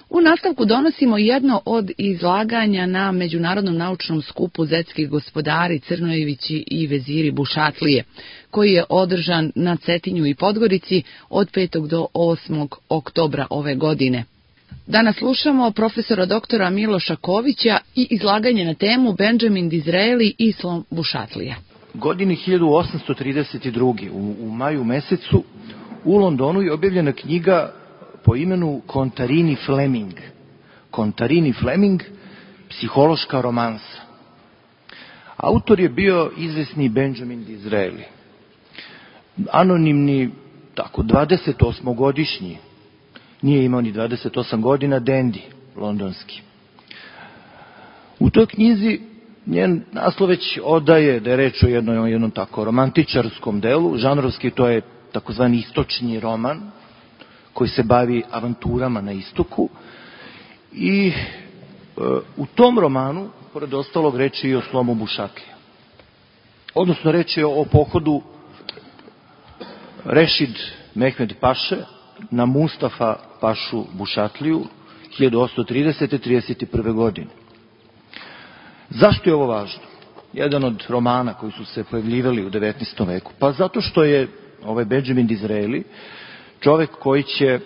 U nastavku donosimo jedno od izlaganja na Međunarodnom naučnom skupu Zetskih gospodari Crnojevići i veziri Bušatlije, koji je održan na Cetinju i Podgorici od 5. do 8. oktobra ove godine. Danas slušamo profesora doktora Miloša Kovića i izlaganje na temu Benjamin Disraeli i slom Bušatlija. Godine 1832. u maju mesecu u Londonu je objavljena knjiga po imenu Contarini Fleming. Contarini Fleming, psihološka romansa. Autor je bio izvesni Benjamin Disraeli. Anonimni, 28-godišnji, nije imao ni 28 godina, dendi londonski. U toj knjizi njen naslov već odaje da je reč o jednom tako romantičarskom delu, žanrovski to je takozvani istočni roman, koji se bavi avanturama na istoku i u tom romanu, pored ostalog, reč je i o slomu Bušatlija. Odnosno, reč je o pohodu Rešid Mehmed Paše na Mustafa Pašu Bušatliju 1830-31. godine. Zašto je ovo važno? Jedan od romana koji su se pojavljivali u 19. veku. Pa zato što je ovaj Benjamin Disraeli čovek koji će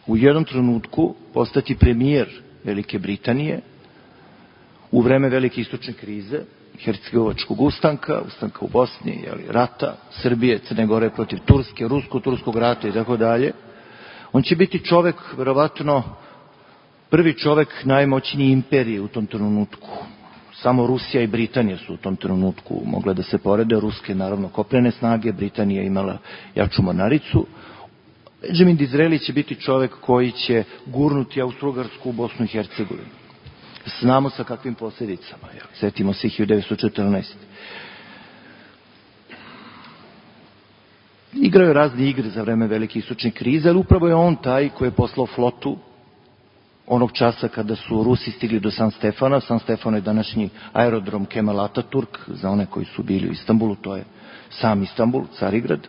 u jednom trenutku postati premijer Velike Britanije u vreme velike istočne krize, hercegovačkog ustanka u Bosni, rata, Srbije, Crne Gore protiv Turske, rusko-turskog rata i tako dalje. On će biti čovek, verovatno, prvi čovek najmoćnije imperije u tom trenutku. Samo Rusija i Britanija su u tom trenutku mogle da se porede. Ruske, naravno, kopnene snage, Britanija imala jaču mornaricu. Benjamin Disraeli će biti čovek koji će gurnuti Austro-Ugarsku u Bosnu i Hercegovinu. Znamo sa kakvim posljedicama. Setimo se 1914. Igrao je razne igre za vreme velike istočne krize, ali upravo je on taj koji je poslao flotu onog časa kada su Rusi stigli do San Stefana. San Stefano je današnji aerodrom Kemal Ataturk, za one koji su bili u Istanbulu, to je sam Istanbul, Carigrad.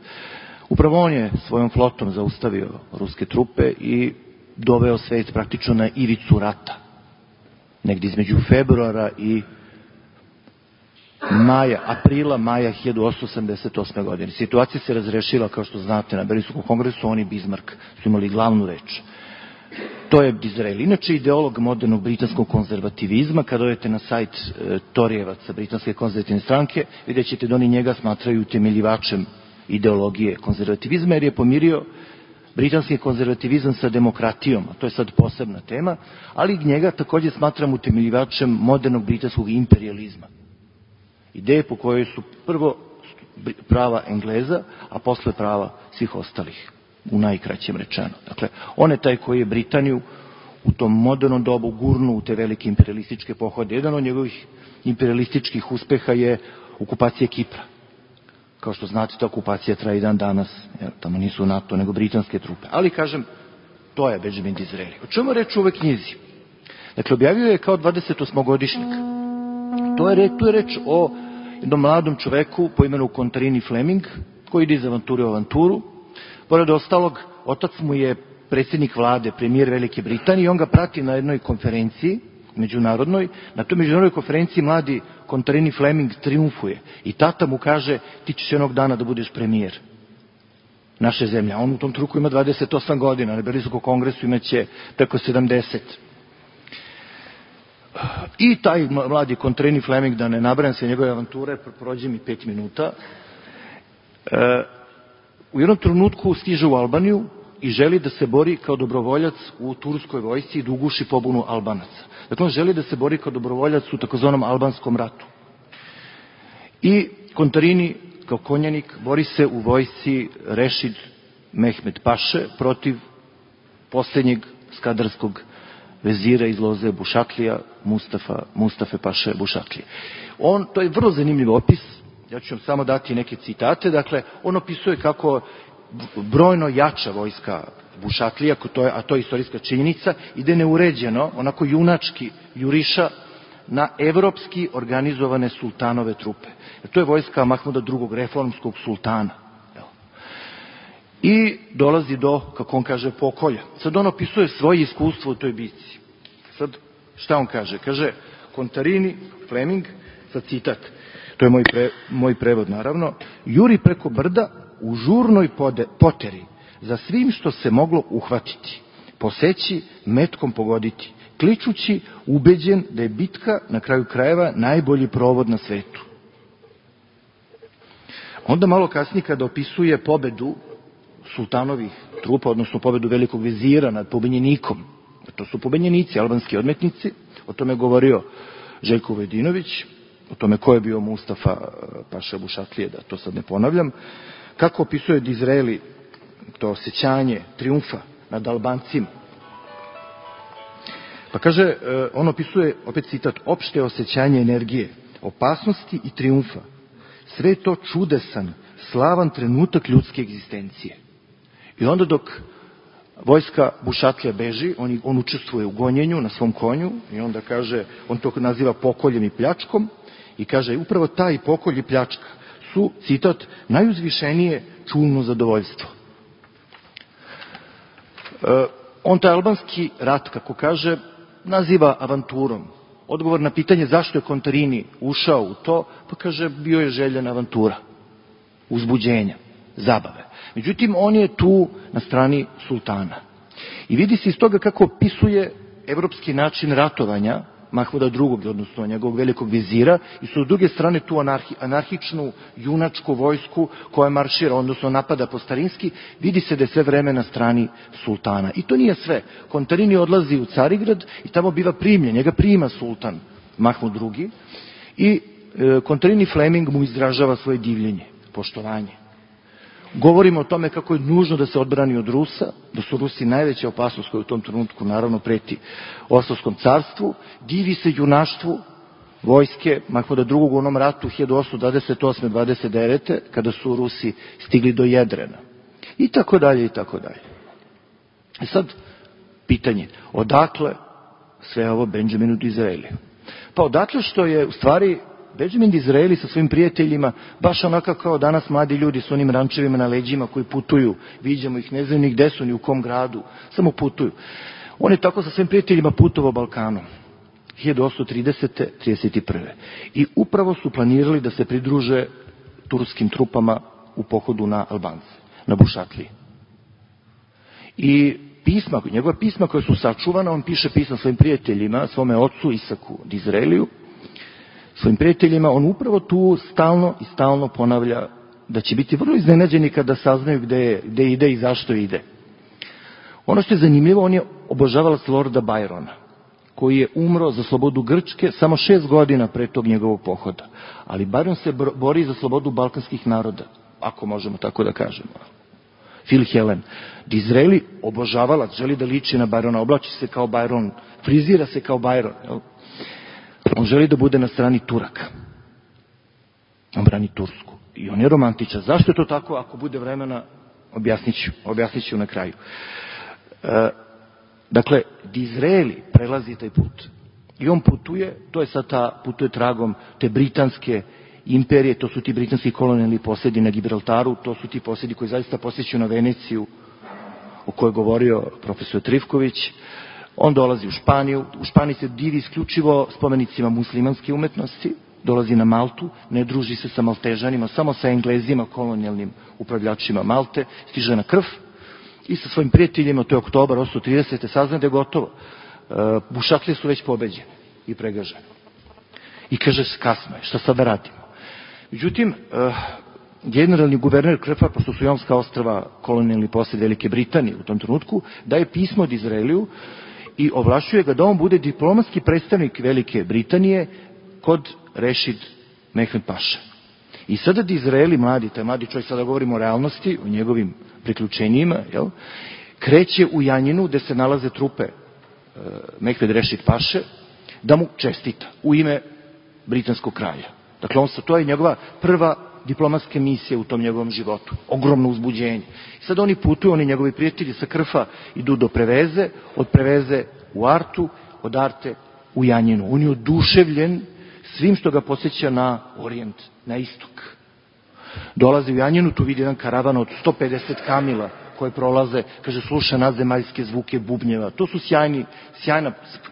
Upravo on je svojom flotom zaustavio ruske trupe i doveo svet praktično na ivicu rata. Negdje između februara i aprila, maja 1888. godine. Situacija se razrešila, kao što znate, na Berlinskom kongresu, on i Bismarck su imali glavnu reč. To je Disraeli. Inače, ideolog modernog britanskog konzervativizma. Kada odete na sajt Torijevaca, britanske konzervativne stranke, vidjet ćete da oni njega smatraju utemeljivačem ideologije konzervativizma, jer je pomirio britanski konzervativizam sa demokratijom, a to je sad posebna tema, ali njega također smatram utemeljivačem modernog britanskog imperializma. Ideje po kojoj su prvo prava Engleza, a posle prava svih ostalih, u najkraćem rečeno. Dakle, on je taj koji je Britaniju u tom modernom dobu gurnu u te velike imperialističke pohode. Jedan od njegovih imperialističkih uspeha je okupacija Kipra. Kao što znate, ta okupacija traje i dan danas. Tamo nisu NATO, nego britanske trupe. Ali, kažem, to je Benjamin Disraeli. O čemu je reč u ovoj knjizi? Dakle, objavio je kao 28-godišnjak. Tu je reč o jednom mladom čoveku po imenu Contarini Fleming, koji ide iz avanture u avanturu. Pored ostalog, otac mu je predsjednik vlade, premijer Velike Britanije, i on ga prati na jednoj konferenciji međunarodnoj. Na toj međunarodnoj konferenciji mladi Contarini Fleming triumfuje i tata mu kaže: ti ćeš jednog dana da budeš premijer naše zemlje. On u tom trenutku ima 28 godina, na Berlinskom kongresu imaće preko 70. I taj mladi Contarini Fleming, da ne nabrajam se njegove avanture, prođe mi 5 minuta, u jednom trenutku stiže u Albaniju i želi da se bori kao dobrovoljac u turskoj vojsci i da uguši pobunu Albanaca. Dakle, on želi da se bori kao dobrovoljac u takozvanom albanskom ratu. I Contarini, kao konjanik, bori se u vojsci Rešid Mehmed Paše protiv posljednjeg skadarskog vezira iz loze Bušatlija, Mustafe Paše Bušatlije. To je vrlo zanimljiv opis. Ja ću vam samo dati neke citate. Dakle, on opisuje kako brojno jača vojska Bušatlija, a to je istorijska činjenica, ide neuređeno, onako junački juriša na evropski organizovane sultanove trupe. To je vojska Mahmuda II. Reformskog sultana. i dolazi do, kako on kaže, pokolja. Sad on opisuje svoje iskustvo u toj bici. Sad, šta on kaže? Kaže, Contarini, Fleming, sad citat, to je moj prevod naravno, juri preko brda u žurnoj poteri, za svim što se moglo uhvatiti, poseći, metkom pogoditi, kličući, ubeđen da je bitka na kraju krajeva najbolji provod na svetu. Onda malo kasnije kada opisuje pobedu sultanovih trupa, odnosno pobedu velikog vezira nad pobenjenikom, to su pobenjenici, albanski odmetnici, o tome je govorio Željko Vujadinović, o tome ko je bio Mustafa Paša Bušatlije, da to sad ne ponavljam, kako opisuje Dizraeli to osjećanje triumfa nad Albancima. Pa kaže, on opisuje, opet citat, opšte osjećanje energije, opasnosti i triumfa. Sve to čudesan, slavan trenutak ljudske egzistencije. I onda dok vojska Bušatlija beži, on učestvuje u gonjenju na svom konju i onda kaže, on to naziva pokoljem i pljačkom i kaže, upravo taj pokolj i pljačka su, citat, najuzvišenije čulno zadovoljstvo. On taj albanski rat, kako kaže, naziva avanturom. Odgovor na pitanje zašto je Contarini ušao u to, pa kaže, bio je željena avantura, uzbuđenja, zabave. Međutim, on je tu na strani sultana. I vidi se iz toga kako opisuje evropski način ratovanja Mahmuda II, odnosno njegovog velikog vizira, i su s druge strane tu anarhičnu, junačku vojsku koja maršira, odnosno napada po starinski, vidi se da je sve vreme na strani sultana. I to nije sve. Contarini odlazi u Carigrad i tamo biva primljen, njega prima sultan Mahmud II i Contarini Fleming mu izražava svoje divljenje, poštovanje. Govorimo o tome kako je nužno da se odbrani od Rusa, da su Rusi najveća opasnost koja u tom trenutku naravno preti Osmanskom carstvu, divi se junaštvu vojske Mahmuda II u onom ratu 1828-29. kada su Rusi stigli do Jedrena. I tako dalje, i tako dalje. I sad, pitanje, odakle sve ovo Benjaminu Dizraeliju? Pa odatle što je u stvari Benjamin Dizraeli sa svojim prijateljima, baš onako kao danas mladi ljudi s onim rančevima na leđima koji putuju, viđamo ih, ne znaju ni gde su, ni u kom gradu, samo putuju. On je tako sa svojim prijateljima putovao Balkanom, 1830. 31. I upravo su planirali da se pridruže turskim trupama u pohodu na Albance, na Bušatliji. I pisma, njegova pisma koja su sačuvana, on piše pisma svojim prijateljima, svome ocu Isaku Dizraeliju, svojim prijateljima, on upravo tu stalno ponavlja da će biti vrlo iznenađeni kada saznaju gde ide i zašto ide. Ono što je zanimljivo, on je obožavalac Lorda Byrona, koji je umro za slobodu Grčke samo 6 godina pre tog njegovog pohoda. Ali Byron se bori za slobodu balkanskih naroda, ako možemo tako da kažemo. Phil Helen. Dizraeli obožavalac, želi da liči na Byrona, oblači se kao Byron, frizira se kao Byron, jel? On želi da bude na strani Turaka. On brani Tursku. I on je romantičan. Zašto je to tako? Ako bude vremena, objasnit ću na kraju. Dakle, Dizraeli prelazi taj put. I on putuje, to je sad putuje tragom te britanske imperije, to su ti britanski kolonijalni posjedi na Gibraltaru, to su ti posjedi koji zaista posjećaju na Veneciju, o kojoj je govorio profesor Trifković. On dolazi u Španiju, u Španiji se divi isključivo spomenicima muslimanske umetnosti, dolazi na Maltu, ne druži se sa Maltežanima, samo sa Englezima, kolonijalnim upravljačima Malte, stiže na Krf i sa svojim prijateljima, to je oktobar 1830. sazna da je gotovo. Bušatlije su već pobeđene i pregažene. I kaže, kasno je, šta sad da radimo? Međutim, generalni guverner Krfa, pošto su Jonska ostrva kolonijalni posjed Velike Britanije u tom trenutku, daje pismo od Dizraeliju i ovlašćuje ga da on bude diplomatski predstavnik Velike Britanije kod Rešid Mehmed Paše. I sada Dizraeli, taj mladi čovjek, sada govorimo o realnosti, o njegovim priključenjima, kreće u Janjinu gde se nalaze trupe Mehmed Rešid Paše, da mu čestita u ime britanskog kralja. Dakle, to je njegova prva diplomatska misija u tom njegovom životu. Ogromno uzbuđenje. I sad oni putuju, oni njegovi prijatelji sa Krfa idu do Preveze, od Preveze u Artu, od Arte u Janjinu. On je oduševljen svim što ga podsjeća na Orijent, na istok. Dolazi u Janjinu, tu vidi jedan karavan od 150 kamila koje prolaze, kaže, sluša nadzemaljske zvuke bubnjeva. To su sjajna,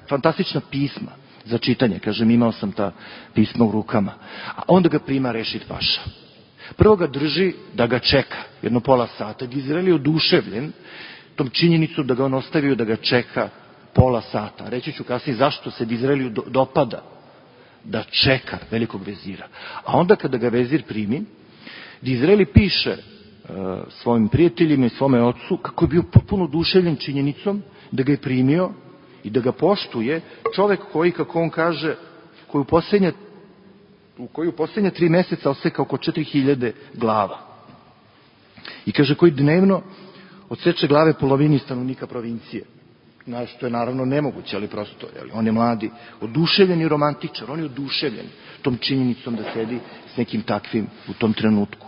fantastična pisma za čitanje. Kažem, imao sam ta pisma u rukama. A onda ga prima Rešid paša. Prvo ga drži da ga čeka, jedno pola sata. Dizraeli je oduševljen tom činjenicom da ga on ostavio da ga čeka pola sata. Reći ću kasnije zašto se Dizraeliju dopada da čeka velikog vezira. A onda kada ga vezir primi, Dizraeli piše svojim prijateljima i svome ocu kako je bio potpuno oduševljen činjenicom da ga je primio i da ga poštuje čovek koji, kako on kaže, koji u posljednja 3 meseca oseka oko 4000 glava. I kaže, koji dnevno odseče glave polovini stanovnika provincije. Što je naravno nemoguće, ali prosto, on je mladi, oduševljen i romantičar, on je oduševljen tom činjenicom da sedi s nekim takvim u tom trenutku.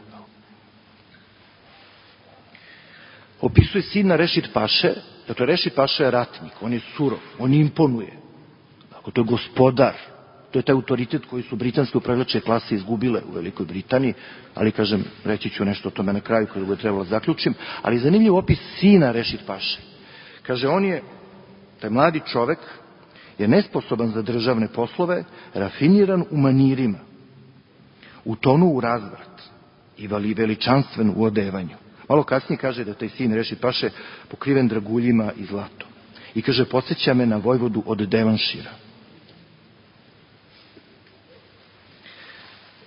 Opisuje sina Rešid paše, dakle Rešid paša je ratnik, on je surov, on imponuje, dakle, to je gospodar, to je taj autoritet koji su britanske upravljačke klase izgubile u Velikoj Britaniji, ali kažem, reći ću nešto o tome na kraju kada ga je trebalo zaključim, ali zanimljiv opis sina Rešid paše. Kaže, on je, taj mladi čovek, je nesposoban za državne poslove, rafiniran u manirima, utonu u razvrat i veličanstven u odevanju. Malo kasnije kaže da taj sin Rešid paše pokriven draguljima i zlatom. I kaže, podsjeća me na vojvodu od Devanšira.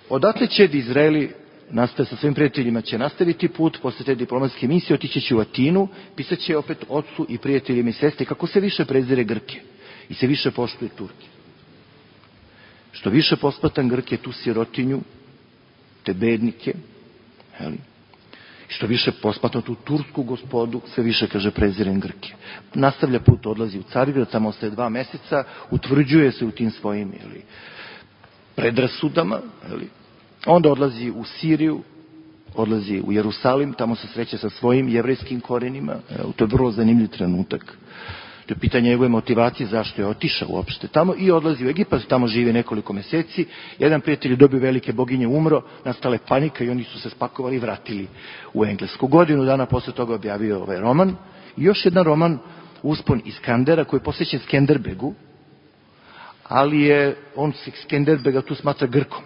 Odatle će Dizraeli sa svojim prijateljima će nastaviti put, posle te diplomatske misije, otići će u Atinu, pisat će opet ocu i prijateljima i sestri kako se više prezire Grke i se više poštuje Turke. Što više posmatan Grke, tu sirotinju, te bednike, što više posmatan tu tursku gospodu, sve više, kaže, prezirem Grke. Nastavlja put, odlazi u Carigrad, tamo ostaje 2 meseca, utvrđuje se u tim svojim predrasudama, onda odlazi u Siriju, odlazi u Jerusalim, tamo se sreće sa svojim jevrejskim korenima, to je vrlo zanimljiv trenutak. To je pitanje njegove motivacije, zašto je otišao uopšte tamo, i odlazi u Egipat, tamo živi nekoliko meseci. Jedan prijatelj je dobio velike boginje, umro, nastala je panika i oni su se spakovali i vratili u Englesku. Godinu dana posle toga objavio ovaj roman. I još jedan roman, Uspon Iskandera, koji je posvećen Skenderbegu, ali je on Skenderbega tu smatra Grkom.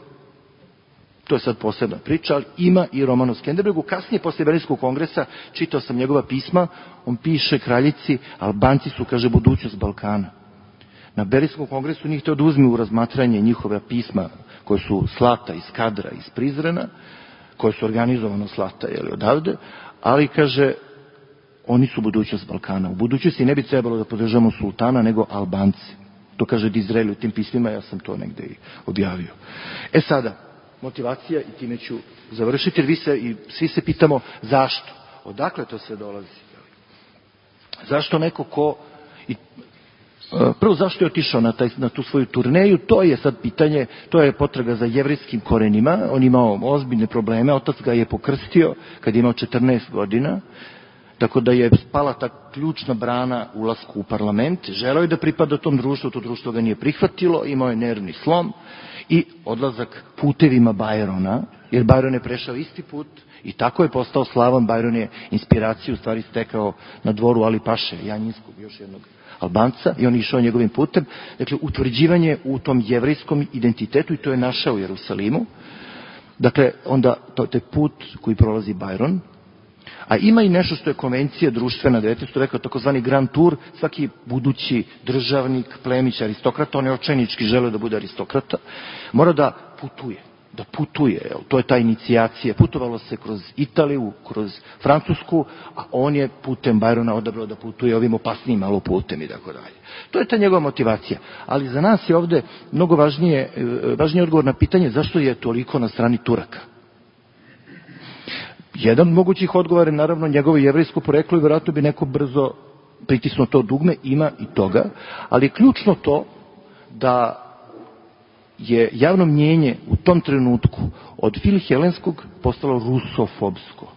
To je sad posebna priča, ali ima i roman o Skenderbegu. Kasnije, posle Berlinskog kongresa, čitao sam njegova pisma, on piše kraljici, Albanci su, kaže, budućnost Balkana. Na Berlinskom kongresu njih hteo da uzme u razmatranje njihova pisma, koje su slata iz Kadra, iz Prizrena, koje su organizovano slata, odavde, ali, kaže, oni su budućnost Balkana. U budućnosti ne bi trebalo da podržamo sultana, nego Albanci. To kaže Dizraeli u tim pismima, ja sam to negde i objavio. Sada, motivacija, i time ću završiti, jer svi se pitamo zašto, odakle to sve dolazi. Zašto neko ko... Prvo, zašto je otišao na tu svoju turneju, to je sad pitanje, to je potraga za jevrejskim korenima, on imao ozbiljne probleme, otac ga je pokrstio kad je imao 14 godina, tako da je spala ta ključna brana ulasku u parlament, želeo je da pripada tom društvu, to društvo ga nije prihvatilo, imao je nervni slom i odlazak putevima Bajrona, jer Bajron je prešao isti put i tako je postao slavan. Bajron je inspiraciju u stvari stekao na dvoru Ali Paše, Janjinskog, još jednog Albanca, i on je išao njegovim putem. Dakle, utvrđivanje u tom jevrejskom identitetu, i to je našao u Jerusalimu. Dakle, onda to je put koji prolazi Bajron. A ima i nešto što je konvencija društvena 19. veka, takozvani Grand Tour. Svaki budući državnik, plemić, aristokrata, on je očajnički želeo da bude aristokrata, mora da putuje, to je ta inicijacija. Putovalo se kroz Italiju, kroz Francusku, a on je putem Bajrona odabrao da putuje ovim opasnijim malo putem i tako dalje. To je ta njegova motivacija. Ali za nas je ovde mnogo važniji odgovor na pitanje zašto je toliko na strani Turaka. Jedan od mogućih odgovora je naravno njegovo jevrejsko poreklo i vjerojatno bi neko brzo pritisnuo to dugme, ima i toga, ali je ključno to da je javno mnjenje u tom trenutku od filhelenskog postalo rusofobsko.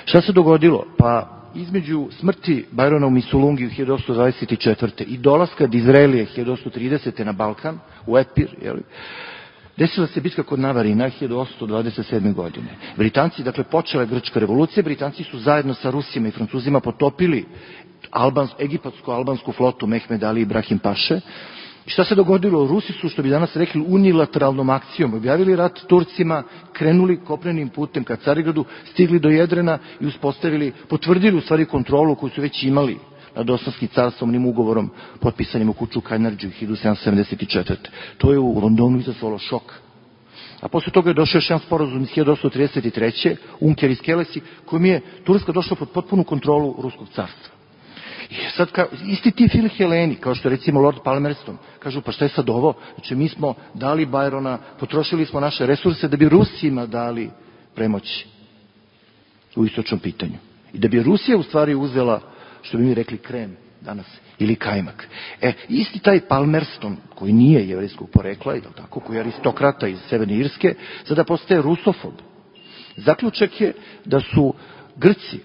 Šta se dogodilo? Pa između smrti Bajrona u Misulungi u 1824. i dolaska Dizraelije 1830. na Balkan, u Epir, Desila se bitka kod Navarina 1827. godine. Britanci, dakle, počela je Grčka revolucija, Britanci su zajedno sa Rusima i Francuzima potopili egipatsko-albansku flotu Mehmed Ali i Ibrahim Paše. I šta se dogodilo? Rusi su, što bi danas rekli, unilateralnom akcijom objavili rat Turcima, krenuli kopnenim putem ka Carigradu, stigli do Jedrena i potvrdili u stvari kontrolu koju su već imali nad Osmanskim carstvom, onim ugovorom potpisanim u Kuču Kajnardžiju 1774. To je u Londonu izazvalo šok. A posle toga je došao još jedan sporazum iz 1833. Unker i Skelesi, kojim je Turska došla pod potpunu kontrolu Ruskog carstva. I sad, isti ti Filheleni, kao što je recimo Lord Palmerston, kažu, pa šta je sad ovo? Znači, mi smo dali Byrona, potrošili smo naše resurse da bi Rusima dali premoć u istočnom pitanju. I da bi Rusija u stvari uzela, što bi mi rekli, krem danas, ili kajmak. Isti taj Palmerston, koji nije jevrejskog porekla, koji je aristokrata iz Severne Irske, sada postaje rusofob. Zaključak je da su Grci,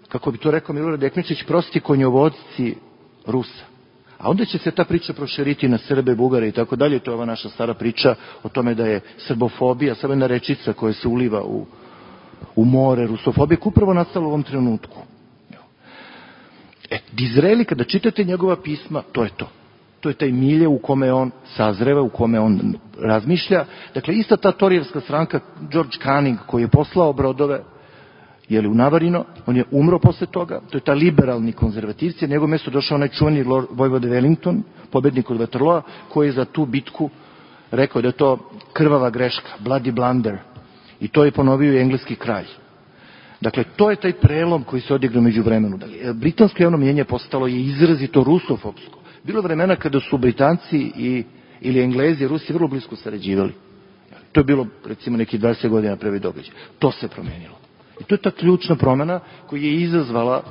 kako bi to rekao Milorad Ekmečić, prosti konjovodci Rusa. A onda će se ta priča proširiti na Srbe, Bugare i tako dalje. To je ova naša stara priča o tome da je srbofobija, samo jedna rečica koja se uliva u more rusofobije, koja upravo nastala u ovom trenutku. Dizraeli, kada čitate njegova pisma, to je to. To je taj milje u kome on sazreva, u kome on razmišlja. Dakle, ista ta torijevska stranka, George Canning, koji je poslao brodove u Navarino, on je umro posle toga, to je ta liberalni konzervativci, na njegov mesto došao onaj čuveni vojvoda Wellington, pobednik od Waterloa, koji je za tu bitku rekao da je to krvava greška, bloody blunder, i to je ponovio i engleski kralj. Dakle, to je taj prelom koji se odigrao među vremenu. Britansko javno mnjenje postalo je izrazito rusofobsko. Bilo vremena kada su Britanci ili Englezi i Rusi vrlo blisko sarađivali. To je bilo, recimo, neki 20 godina prvi događaj. To se promenilo. I to je ta ključna promena koja je izazvala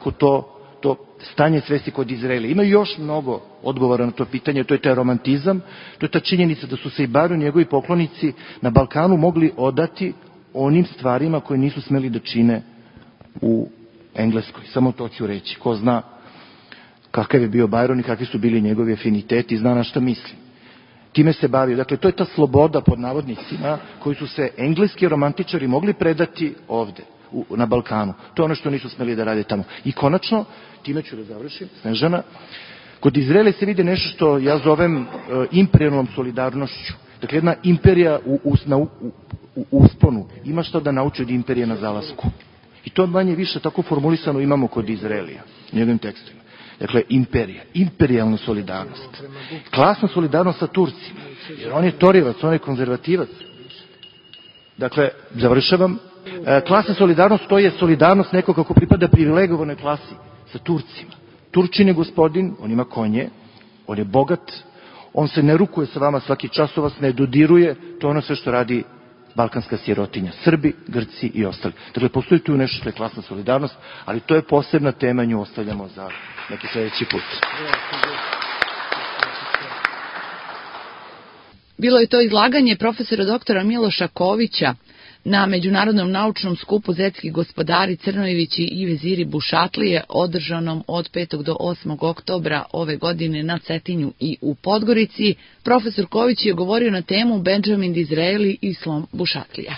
to stanje svesti kod Izraela. Ima još mnogo odgovora na to pitanje, to je taj romantizam, to je ta činjenica da su se i Byron i njegovi poklonici na Balkanu mogli odati onim stvarima koje nisu smeli da čine u Engleskoj. Samo to ću reći. Ko zna kakav je bio Byron i kakvi su bili njegovi afiniteti, zna na šta mislim. Time se bavio. Dakle, to je ta sloboda pod navodnicima koju su se engleski romantičari mogli predati ovde, na Balkanu. To je ono što nisu smeli da rade tamo. I konačno, time ću da završim, Snežana, kod Izraela se vide nešto što ja zovem imperijalnom solidarnošću. Dakle, jedna imperija u usponu ima što da nauči od imperije na zalasku. I to manje više tako formulisano imamo kod Izraelija, njegovim tekstovima. Dakle, imperija, imperijalna solidarnost. Klasna solidarnost sa Turcima, jer on je torivac, on je konzervativac. Dakle, završavam, klasna solidarnost, to je solidarnost nekog kako pripada privilegovanoj klasi sa Turcima. Turčin je gospodin, on ima konje, on je bogat, on se ne rukuje sa vama svaki čas, vas ne dodiruje, to je ono sve što radi balkanska sirotinja, Srbi, Grci i ostali. Dakle, postoji tu nešto što je klasna solidarnost, ali to je posebna tema, nju ostavljamo za neki sljedeći put. Bilo je to izlaganje profesora doktora Miloša Kovića na Međunarodnom naučnom skupu Zetski gospodari Crnojevići i veziri Bušatlije, održanom od 5. do 8. oktobra ove godine na Cetinju i u Podgorici. Profesor Ković je govorio na temu Benjamin Disraeli i slom Bušatlija.